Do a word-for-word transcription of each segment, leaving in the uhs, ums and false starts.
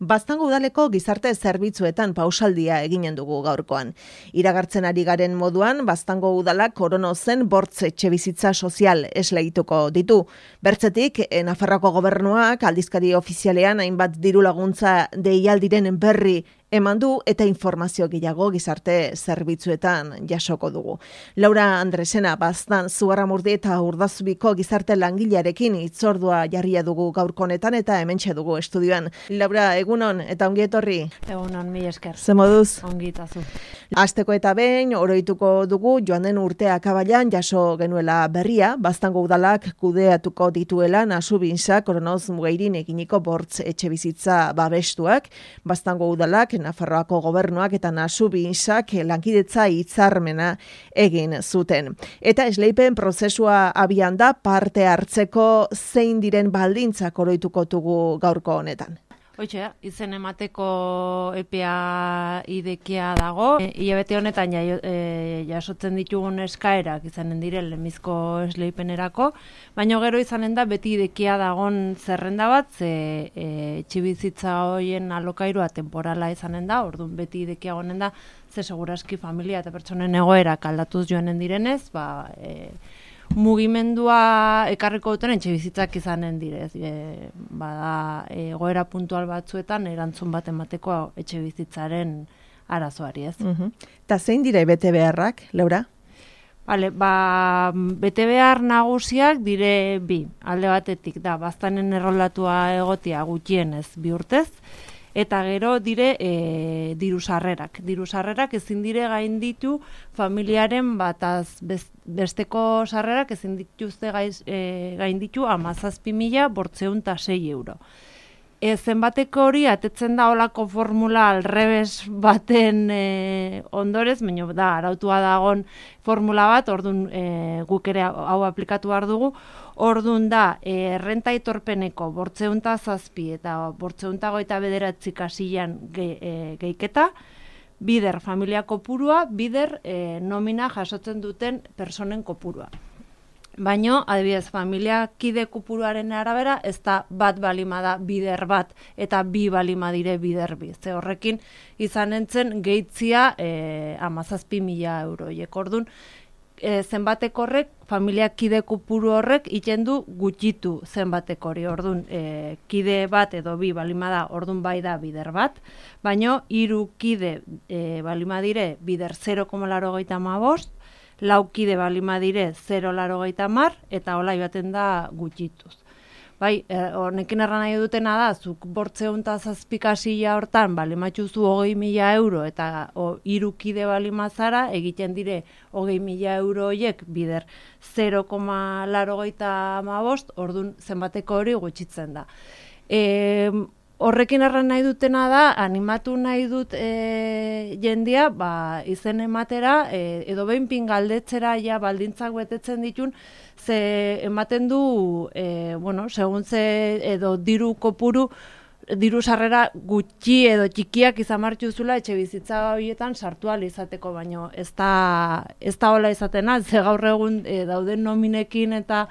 Baztango udaleko gizarte zerbitzuetan pausaldia eginen dugu gaurkoan. Iragartzen ari garen moduan, Baztango udalak korono zen bortz etxebizitza sozial esleituko ditu. Bertzetik, Nafarroako gobernuak aldizkari ofizialean hainbat diru laguntza deialdiren berri eman du eta informazio gehiago gizarte zerbitzuetan jasoko dugu. Laura Andresena, Baztan, Zugarramurdi eta Urdazubiko gizarte langilearekin hitzordua jarria dugu gaurko honetan eta hementxe dugu estudioan. Laura, egunon eta ongi etorri. Egunon, mi esker. Ze moduz? Ongi itazu. Asteko eta behin oroituko dugu joan den urtea akabailan jaso genuela berria, Baztango udalak kudeatuko dituela Nasubinsa koronoz mugairin eginiko bortz etxebizitza babestuak, Baztango udalak Nafarroako gobernuak eta Nasubinsak lankidetza hitzarmena egin zuten. Eta esleipen prozesua abian da parte hartzeko zein diren baldintzak oroituko dugu gaurko honetan. Hoitxe, izen emateko epea idekia dago. E, Ilabete honetan ja, e, jasotzen ditugun eskaerak izanen dire lemizko esleipenerako, baina gero izanen da beti idekia dagon zerrenda bat, ze e, etxebizitza hoien alokairua temporala izanen da, orduan beti idekia gonen da, ze seguraski familia eta pertsonen egoerak aldatuz joanen direnez, ba... E, mugimendua ekarriko duten etxebizitzak izanen direz. E, bada, egoera puntual batzuetan erantzun bat emateko etxebizitzaren arazoari, ez. Uh-huh. Ta zein dira bete beharrak, Laura? Vale, ba, bete behar nagusiak dire bi. Alde batetik da, Baztanen errolatua egotia gutxienez bi urtez, eta gero dire e, diru sarrerak. Diru sarrerak ezin dire gainditu familiaren bataz besteko sarrerak ezin dituzte gaiz, e, gainditu hamazazpi mila bortzeun eta sei euro. E, zenbateko hori atetzen da olako formula alrebes baten e, ondorez, baina da arautua dagon formula bat, orduan e, guk ere hau aplikatu behar dugu, orduan da e, errenta itorpeneko bortzeunta zazpi eta bortzeunta goita bederatzi kasilan ge, e, geiketa, bider familia kopurua, bider e, nomina jasotzen duten personen kopurua. Baino, adibidez, familia kide kopuruaren arabera, ez da bat balima da bider bat, eta bi balima dire bider bi. Ze horrekin izan entzen gehitzia e, amazazpi mila euroiek. Orduan, e, zenbatek horrek, familia kide kopuru horrek iten du gutxitu zenbatek hori. Orduan, e, kide bat edo bi balima da, orduan bai da bider bat, baino, hiru kide e, balima dire bider zero koma laurogeita hamabost, laukide balima dire zero koma laurogeita hamar, eta hola ibaten da gutxituz. Bai, honekin erran nahi dutena da, zuk bortzeun eta zazpikasila hortan balimatxuzu hogei mila euro, eta hiru kide balima zara, egiten dire hogei mila euro horiek bider zero koma laurogeita hamabost, orduan zenbateko hori gutxitzen da. E, Horrekin erran nahi dutena da, animatu nahi dut e, jendia, ba, izen ematera, e, edo behin pingaldetzera ja baldintzak betetzen ditun, ze ematen du, e, bueno, segun ze edo diru kopuru, diru sarrera gutxi edo txikiak izan martxuzula etxe bizitza horietan sartu ahal izateko, baino ez da, ez da hola izatena, ze gaur egun e, dauden nominekin eta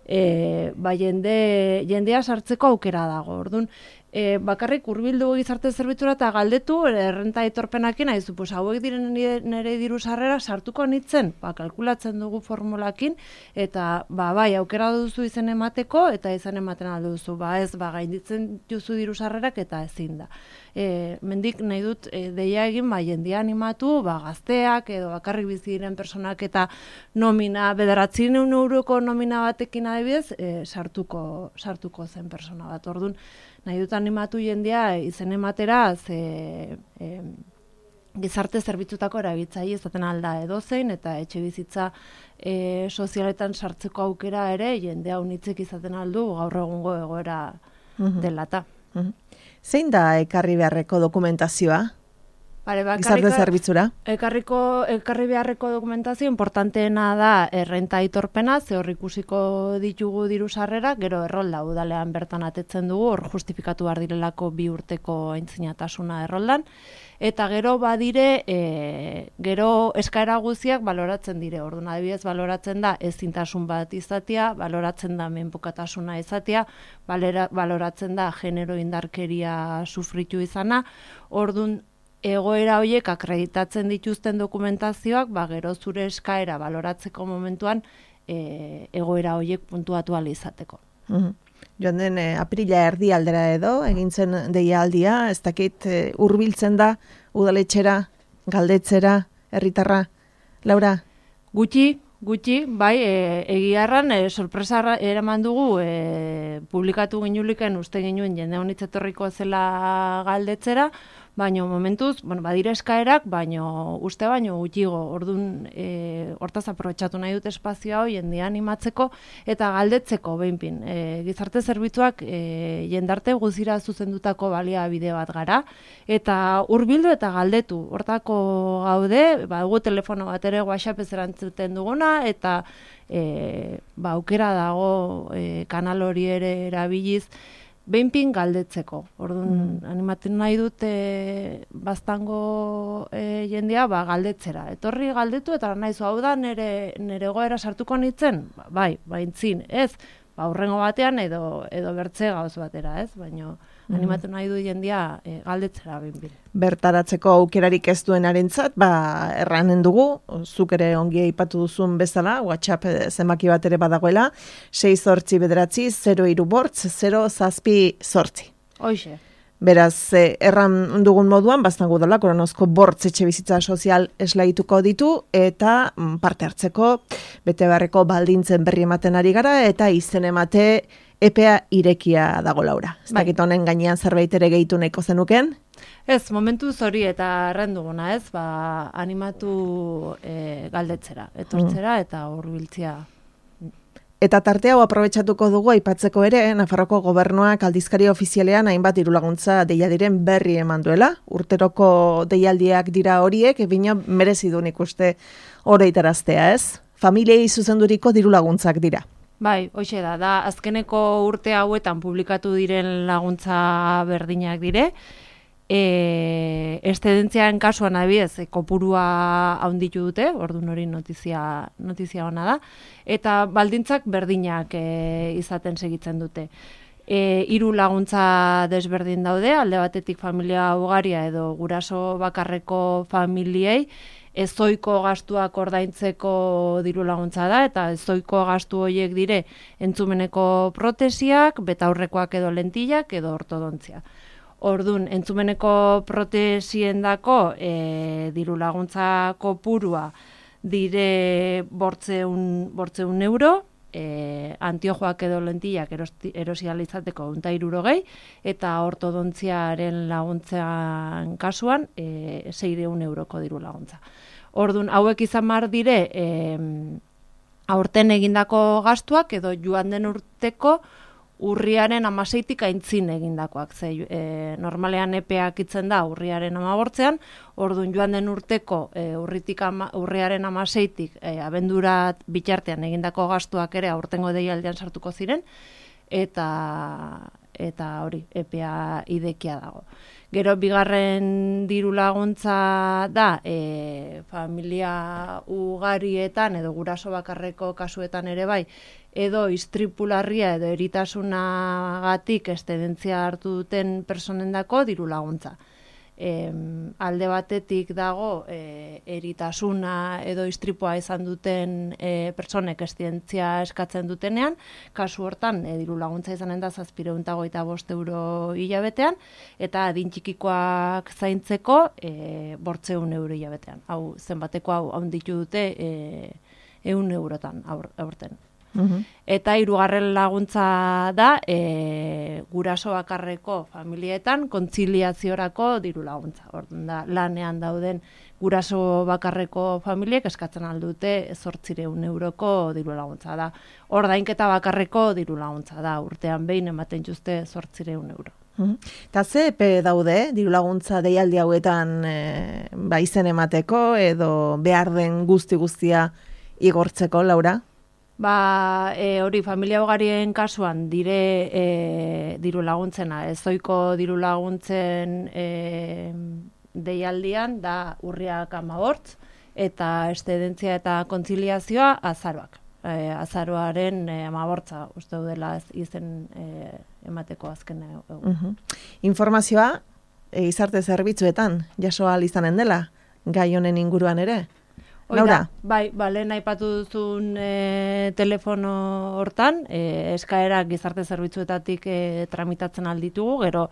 e, ba, jende, jendea sartzeko aukera dago, orduan, E, bakarrik hurbildu gizarte zerbitzura eta galdetu errenta etorpenakin, haizu, pues, hauek diren nire diru sarrera sartuko nitzen, ba, kalkulatzen dugu formulakin, eta ba, bai, aukera duzu izen emateko, eta izan ematen aldo duzu, ba, ez, ba, gainditzen duzu diru sarrerak, eta ezin da. E, mendik nahi dut e, deia egin, ba, jendia animatu, ba, gazteak, edo bakarrik bizi diren personak, eta nomina, bederatzen euroko nomina batekin adibidez, e, sartuko, sartuko zen persona bat, orduan, nahi dut animatu jendia izen ematera, ze e, gizarte zerbitzutako erabiltzaile izaten alda edozein, eta etxe bizitza e, sozialetan sartzeko aukera ere jendea unitzek izaten aldu gaur egungo egoera dela eta. Zein da ekarri beharreko dokumentazioa? gizarte zerbitzura. Ekarriko, ekarri beharreko dokumentazio importanteena da errenta aitorpena, ze hor ikusiko ditugu diru sarrera, gero errolda udalean bertan atetzen dugu, hor justifikatu behar direlako bi urteko aintzinatasuna erroldan, eta gero badire, e, gero eskaera guztiak baloratzen dire, orduan adibidez baloratzen da ezintasun bat izatea, baloratzen da menpekotasuna izatea, balera, baloratzen da genero indarkeria sufritu izana, orduan egoera horiek akreditatzen dituzten dokumentazioak, ba, gero zure eskaera baloratzeko momentuan e, egoera horiek puntuatu ahal izateko. Mm-hmm. Joan den e, aprila erdi aldera edo, egintzen deialdia, ez dakit e, hurbiltzen da udaletxera, galdetzera, herritarra, Laura? Gutxi, gutxi, bai, e, egiarran, e, sorpresa eraman dugu, e, publikatu ginuliken uste ginuen jende honitzetorriko zela galdetzera, baino momentuz, bueno, badire eskaerak, baino uste baino gutxigo, orduan e, hortaz aprobetxatu nahi dut espazio hau jendea animatzeko eta galdetzeko behinpin. E, gizarte zerbitzuak e, jendarte guzira zuzendutako baliabide bat gara, eta hurbildu eta galdetu. Hortako gaude, ba, dugu telefono bat ere WhatsApp erantzuten duguna, eta e, ba, aukera dago e, kanal hori ere erabiliz, behinpin galdetzeko. Orduan, mm. animatzen nahi dut e, baztango e, jendea ba, galdetzera. Etorri galdetu eta nahizu hau da nire, nire goera sartuko nintzen? Ba, bai, baintzin, ez? Ba, urrengo batean edo, edo bertze gauz batera, ez? Baina mm. animatzen nahi du jendea e, galdetzera behinpin. Bertaratzeko aukerarik ez duenarentzat, ba, erranen dugu, zuk ere ongi aipatu duzun bezala, WhatsApp zenbaki bat ere badagoela, sei zortzi bederatzi, zero hiru bortz, zero zazpi zortzi. Hoxe. Beraz, eh, erran dugun moduan, baztango dela, koronozko bortz etxe bizitza sozial eslaituko ditu, eta mm, parte hartzeko, bete beharreko baldintzen berri ematen ari gara, eta izen emate epea irekia dago, Laura. Ez dakit honen gainean zerbait ere gehitu nahiko zenuken? Ez, momentu hori eta errenduguna, ez, ba, animatu e, galdetzera, etortzera mm. eta hurbiltzea. Eta tarte hau aprobetxatuko dugu aipatzeko ere, Nafarroko gobernuak aldizkari ofizialean hainbat dirulaguntza deialdiren berri eman duela. Urteroko deialdiak dira horiek, ebina merezi du nik uste oroitaraztea, ez? Familiei zuzenduriko dirulaguntzak dira. Bai, hoxe da, da azkeneko urte hauetan publikatu diren laguntza berdinak dire, E, estedentziaren kasuan adibidez, e, kopurua handitu dute, orduan hori notizia, notizia ona da, eta baldintzak berdinak e, izaten segitzen dute. E, hiru laguntza desberdin daude, alde batetik familia ugaria edo guraso bakarreko familiei, ezoiko gastuak ordaintzeko diru laguntza da, eta ezoiko gastu horiek dire entzumeneko protesiak, betaurrekoak edo lentillak edo ortodontzia. Orduan, entzumeneko protesiendako e, diru laguntza kopurua dire bortzeun, bortzeun euro, e, antiojoak edo lentillak erosializateko unta irurogei, eta ortodontziaren laguntzan kasuan e, seireun euroko diru laguntza. Orduan, hauek izan mar dire, e, aurten egindako gastuak edo joan den urteko urriaren amaseitik aintzin egindakoak. Ze, e, normalean epeak itzen da urriaren amabortzean, orduan joan den urteko e, urritik ama, urriaren amaseitik e, abendurat bitartean egindako gastuak ere aurtengo deialdian sartuko ziren, eta eta hori, epea idekia dago. Gero bigarren diru laguntza da e, familia ugarietan edo guraso bakarreko kasuetan ere bai, edo istripularria edo eritasunagatik estedentzia hartu duten personendako diru laguntza. E, alde batetik dago e, eritasuna edo istripua izan duten e, personek estedentzia eskatzen dutenean, kasu hortan e, diru laguntza izanen da zazpiehun eta hogeita bost euro hilabetean, eta adin txikikoak zaintzeko e, bortzeun euro hilabetean. Hau zenbateko hau handitu dute e, ehun eurotan aur, aurten. Uhum. Eta hirugarren laguntza da e, guraso bakarreko familietan kontziliaziorako diru laguntza. Orduan da lanean dauden guraso bakarreko familiek eskatzen aldute zortziehun euroko diru laguntza da. Ordainketa bakarreko diru laguntza da. Urtean behin ematen juzte zortziehun euro. Eta ze epe daude, diru laguntza deialdi hauetan e, ba, izen emateko edo behar den guzti guztia igortzeko, Laura? Ba, e, hori familia ugarien kasuan dire e, diru laguntzena, ezoiko diru laguntzen e, deialdian da urriak amabort, eta eszedentzia eta kontziliazioa azaroak. E, azaroaren e, amabortza uste dela izen e, emateko azken egun. Uh-huh. Informazioa e, izarte zerbitzuetan jaso ahal izanen dela, gai honen inguruan ere? Laura? Bai, ba, lehen aipatu duzun e, telefono hortan, e, eskaerak gizarte zerbitzuetatik e, tramitatzen alditugu, gero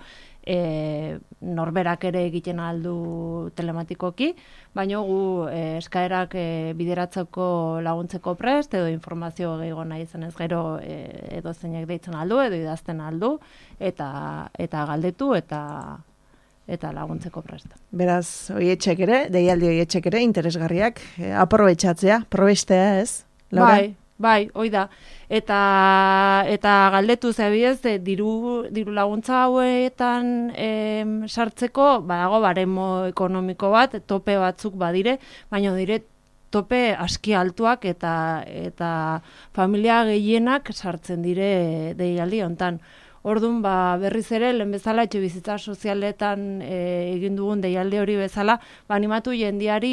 e, norberak ere egiten aldu telematikoki, baina gu e, eskaerak e, bideratzeko laguntzeko prest, edo informazio gehiago nahi izanez gero e, edo zeinek deitzen aldu, edo idazten aldu, eta, eta galdetu, eta eta laguntzeko prest. Beraz, oietxek ere, deialdi oietxek ere, interesgarriak, eh, aprobetxatzea, probestea ez, Laura? Bai, bai, hoi da. Eta, eta galdetu zebiez, e, diru, diru laguntza hauetan em, sartzeko, badago baremo ekonomiko bat, tope batzuk badire, baina dire tope aski altuak eta, eta familia gehienak sartzen dire deialdi hontan. Orduan, ba, berriz ere, lehen bezala, etxe bizitza sozialetan e, egin dugun deialde hori bezala, ba, animatu jendiari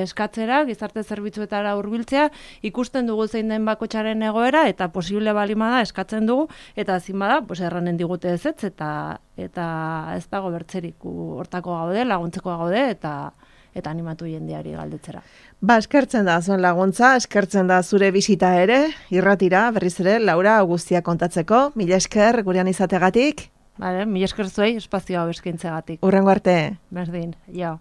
eskatzera, gizarte zerbitzuetara hurbiltzea, ikusten dugu zein den bakotxaren egoera, eta posible balimada eskatzen dugu, eta ezin bada, pues, erranen digute ez ez, eta, eta ez dago bertzerik hortako gaude, laguntzeko gaude, eta eta animatu jendeari galdetzera. Ba, eskertzen da zuen laguntza, eskertzen da zure bisita ere, irratira, berriz ere, Laura, guztia kontatzeko, mila esker gurean izategatik. Vale, mila esker zuei espazio hau eskaintzegatik. Hurrengo arte. Berdin, jo.